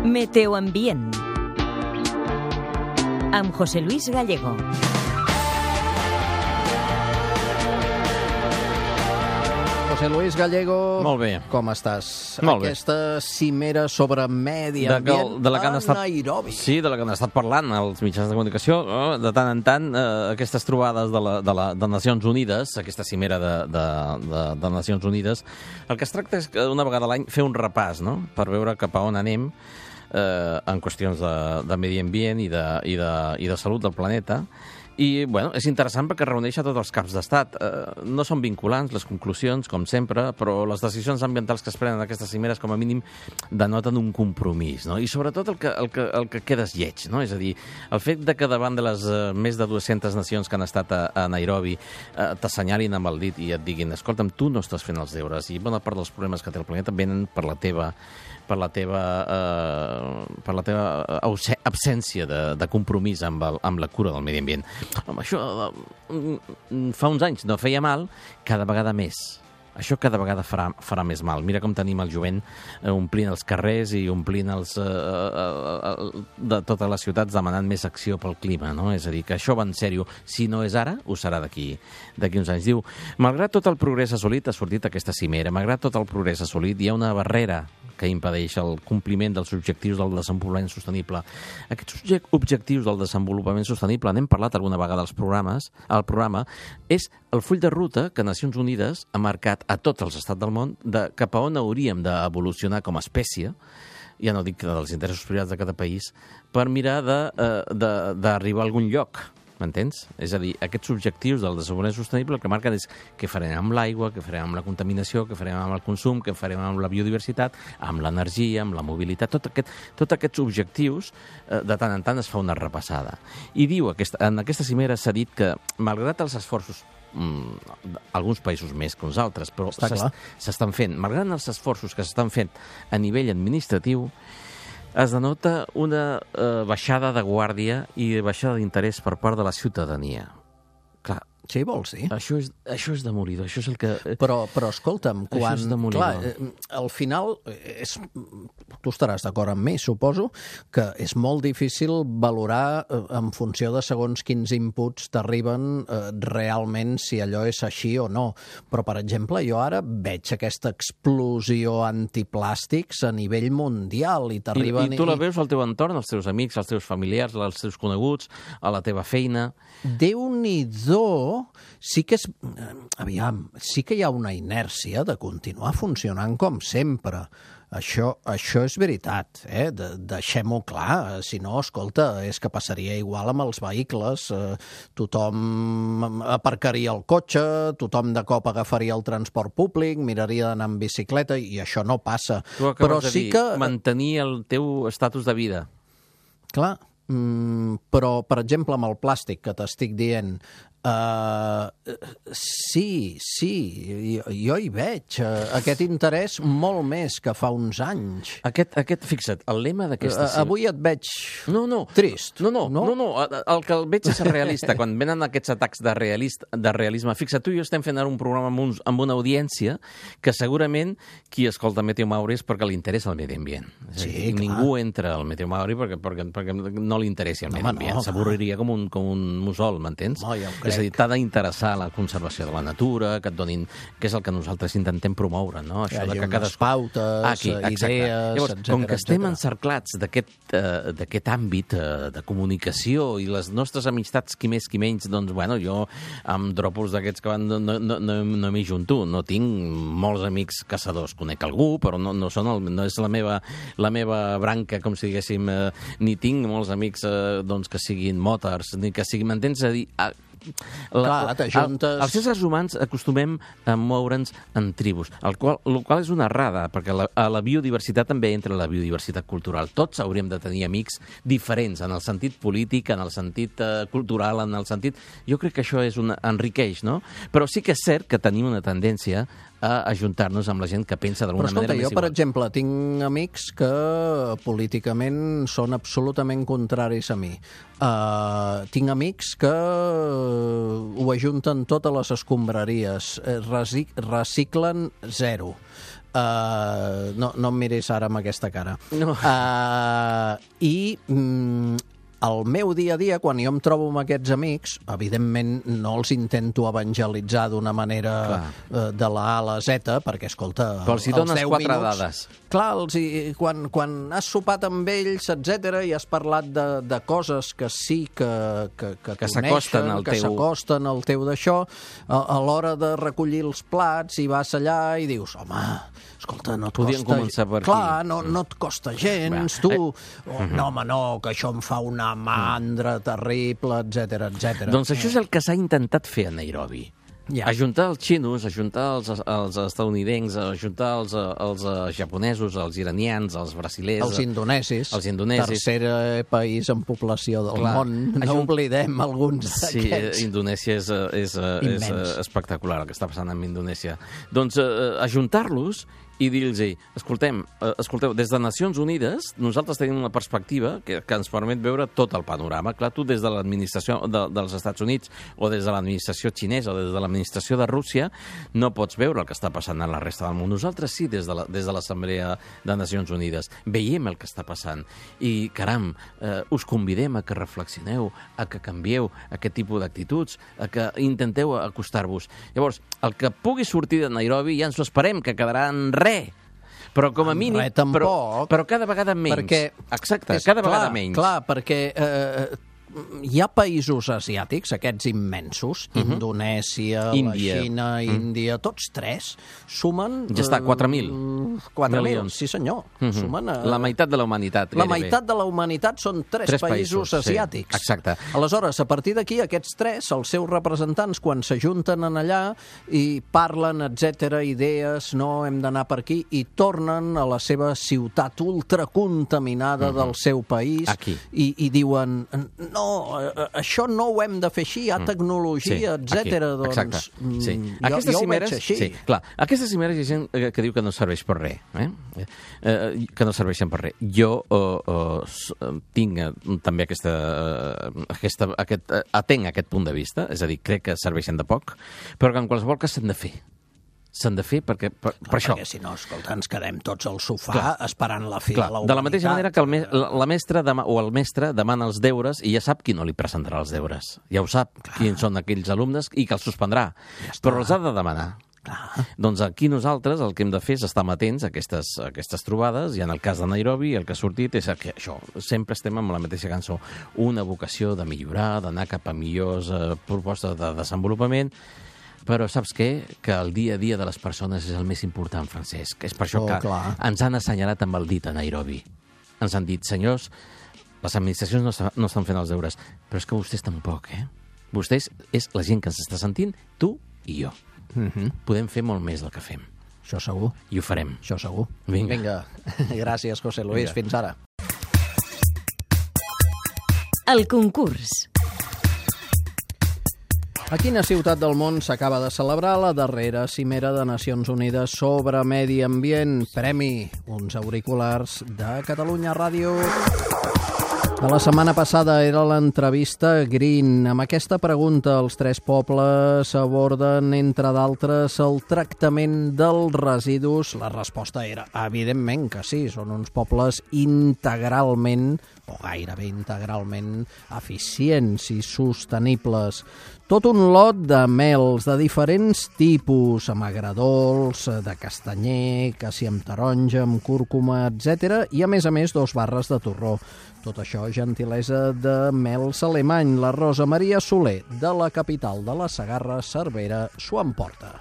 Meteoambient amb José Luis Gallego. José Luis Gallego, molt bé. Com estàs? Molt bé. Aquesta cimera sobre medi ambient de la que han a estat, Nairobi. Sí, de la que han estat parlant els mitjans de comunicació. De tant en tant, aquestes trobades de Nacions Unides, aquesta cimera de Nacions Unides, el que es tracta és que una vegada a l'any fer un repàs, no?, per veure cap a on anem en qüestions de medi ambient i de salut del planeta. I, bueno, és interessant perquè reuneix a tots els caps d'estat. No són vinculants les conclusions, com sempre, però les decisions ambientals que es prenen en aquestes cimeres, com a mínim, denoten un compromís, no? I sobretot el que queda és lleig, no? És a dir, el fet de que davant de les més de 200 nacions que han estat a Nairobi t'assenyalin amb el dit i et diguin: escolta'm, tu no estàs fent els deures, i bona part dels problemes que té el planeta venen per la teva absència de compromís amb la cura del medi ambient. Home, això fa uns anys no feia mal, cada vegada més. Això cada vegada farà més mal. Mira com tenim el jovent omplint els carrers i omplint de totes les ciutats demanant més acció pel clima, no? És a dir, que això va en sèrio. Si no és ara, ho serà d'aquí uns anys. Diu, malgrat tot el progrés assolit, ha sortit aquesta cimera, malgrat tot el progrés assolit, hi ha una barrera que impedeix el compliment dels objectius del desenvolupament sostenible. Aquests objectius del desenvolupament sostenible, n'hem parlat alguna vegada al programa, és el full de ruta que Nacions Unides ha marcat a tots els estats del món de cap a on hauríem d'evolucionar com a espècie, ja no dic dels interessos privats de cada país, per mirar d'arribar a algun lloc. M'entens? És a dir, aquests objectius del desenvolupament sostenible el que marquen és què farem amb l'aigua, què farem amb la contaminació, què farem amb el consum, què farem amb la biodiversitat, amb l'energia, amb la mobilitat. Tots aquests objectius, de tant en tant es fa una repassada. I diu, en aquesta cimera s'ha dit que, malgrat els esforços, alguns països més que uns altres, però s'estan fent, malgrat els esforços que s'estan fent a nivell administratiu, es denota una baixada de guàrdia i baixada d'interès per part de la ciutadania. Clar, Sí, vols dir? això és demolidor, això és el que... Però escolta'm, Això és demolidor. Clar, al final, tu estaràs d'acord amb mi, suposo, que és molt difícil valorar en funció de segons quins inputs t'arriben realment si allò és així o no. Però, per exemple, jo ara veig aquesta explosió antiplàstics a nivell mundial i t'arriben... I tu la veus al teu entorn, als teus amics, als teus familiars, als teus coneguts, a la teva feina... Déu-n'hi-do, sí que hi ha una inèrcia de continuar funcionant com sempre. Això és veritat, deixem-ho clar. Si no, escolta, és que passaria igual amb els vehicles. Tothom aparcaria el cotxe, tothom de cop agafaria el transport públic, miraria d'anar amb bicicleta, i això no passa. Tu acabes de dir, mantenir el teu estatus de vida. Clar, però, per exemple, amb el plàstic que t'estic dient, sí, jo hi veig aquest interès molt més que fa uns anys. Fixa't, el lema d'aquesta... Avui et veig trist. No, el que el veig és realista. Quan venen aquests atacs de realisme, fixa't, tu i jo estem fent ara un programa amb una audiència que segurament qui escolta Meteo Mauri és perquè li interessa el medi ambient. Sí, ningú entra al Meteo Mauri perquè no li interessi el medi ambient. S'avorriria com un mussol, m'entens? És a dir, t'ha d'interessar la conservació de la natura, que et donin... que és el que nosaltres intentem promoure, no? Això de que unes pautes, idees, llavors, etcètera. Com que estem encerclats d'aquest àmbit de comunicació i les nostres amistats, qui més qui menys, doncs, bueno, jo amb dropos d'aquests que van no m'hi junto. No tinc molts amics caçadors. Conec algú, però no és la meva branca, com si diguéssim, ni tinc molts amics que siguin motors, ni que siguin... M'entens? A dir... Els éssers humans acostumem a moure'ns en tribus, el qual és una errada, perquè a la biodiversitat també entra la biodiversitat cultural. Tots hauríem de tenir amics diferents, en el sentit polític, en el sentit cultural, en el sentit... Jo crec que això enriqueix, no? Però sí que és cert que tenim una tendència a ajuntar-nos amb la gent que pensa d'alguna manera més igual. Però escolta, jo, per exemple, tinc amics que políticament són absolutament contraris a mi. Tinc amics que ho ajunten totes les escombraries, reciclen zero. no em miris ara amb aquesta cara. No. El meu dia a dia, quan jo em trobo amb aquests amics, evidentment no els intento evangelitzar d'una manera de la A a la Z, perquè, escolta, però els hi dones 4 dades. Clar, quan has sopat amb ells, etc i has parlat de coses que sí que s'acosten al teu... que s'acosten al teu d'això, a l'hora de recollir els plats i vas allà i dius, home, escolta, no et podien costa... començar per aquí. Clar, no et costa gens, tu... No, home, no, que això em fa una mandra terrible, etc. Doncs això és el que s'ha intentat fer a Nairobi. Ajuntar els xinos, ajuntar els estadounidencs, ajuntar els japonesos, els iranians, els brasilers... Els indonesis. Tercer país en població del món. No oblidem alguns d'aquests. Sí, Indonèsia és espectacular el que està passant amb Indonèsia. Doncs ajuntar-los i dir-los, escolteu, des de Nacions Unides nosaltres tenim una perspectiva que ens permet veure tot el panorama. Clar, tu des de l'administració dels Estats Units o des de l'administració xinesa o des de l'administració de Rússia no pots veure el que està passant a la resta del món. Nosaltres sí, des de l'Assemblea de Nacions Unides. Veiem el que està passant. I, caram, us convidem a que reflexioneu, a que canvieu aquest tipus d'actituds, a que intenteu acostar-vos. Llavors, el que pugui sortir de Nairobi ja ens ho esperem, que quedarà en res. Però com a mínim... Però cada vegada menys. Perquè, exacte, cada vegada menys. Clar, perquè hi ha països asiàtics, aquests immensos, Indonèsia, Índia. La Xina, Índia, tots tres, sumen... Ja està, 4.000. 4.000 milions, sí senyor. Sumen la meitat de la humanitat. La meitat de la humanitat són tres països asiàtics. Sí, exacte. Aleshores, a partir d'aquí, aquests tres, els seus representants, quan s'ajunten en allà i parlen, etc, idees, no, hem d'anar per aquí, i tornen a la seva ciutat ultracontaminada del seu país i diuen... No, això no ho hem de fer així, hi ha tecnologia, etc. Doncs exacte. Jo ho veig així. Sí, clar. Aquestes cimeres hi ha gent que diu que no serveix per res, que no serveixen per res. Jo tinc també atenc aquest punt de vista, és a dir, crec que serveixen de poc, però que en qualsevol cas s'han de fer. S'han de fer per això. Perquè si no, escolta, ens quedem tots al sofà esperant la fi de la humanitat. De la mateixa manera que la mestra o el mestre demana els deures i ja sap qui no li presentarà els deures. Ja ho sap, quins són aquells alumnes i que els suspendrà. Però els ha de demanar. Doncs aquí nosaltres el que hem de fer és estar atents a aquestes trobades, i en el cas de Nairobi el que ha sortit és que això, sempre estem amb la mateixa cançó, una vocació de millorar, d'anar cap a millors propostes de desenvolupament. Però saps què? Que el dia a dia de les persones és el més important, Francesc. És per això que ens han assenyalat amb el dit a Nairobi. Ens han dit, senyors, les administracions no estan fent els deures, però és que vostès tampoc, Vostès és la gent que ens està sentint, tu i jo. Podem fer molt més del que fem. Això segur. I ho farem. Això segur. Vinga. Gràcies, José Luis. Fins ara. El concurs. A quina ciutat del món s'acaba de celebrar la darrera cimera de Nacions Unides sobre medi ambient? Premi, uns auriculars de Catalunya Ràdio. De la setmana passada era l'entrevista Green. Amb aquesta pregunta, els tres pobles aborden, entre d'altres, el tractament dels residus. La resposta era, evidentment que sí, són uns pobles integralment, o gairebé integralment, eficients i sostenibles. Tot un lot de mels de diferents tipus, amb agradols, de castanyer, cassi amb taronja, amb cúrcuma, etc. I, a més, 2 barres de torró. Tot això, gentilesa de mels alemany. La Rosa Maria Soler, de la capital de la Segarra, Cervera, s'ho emporta.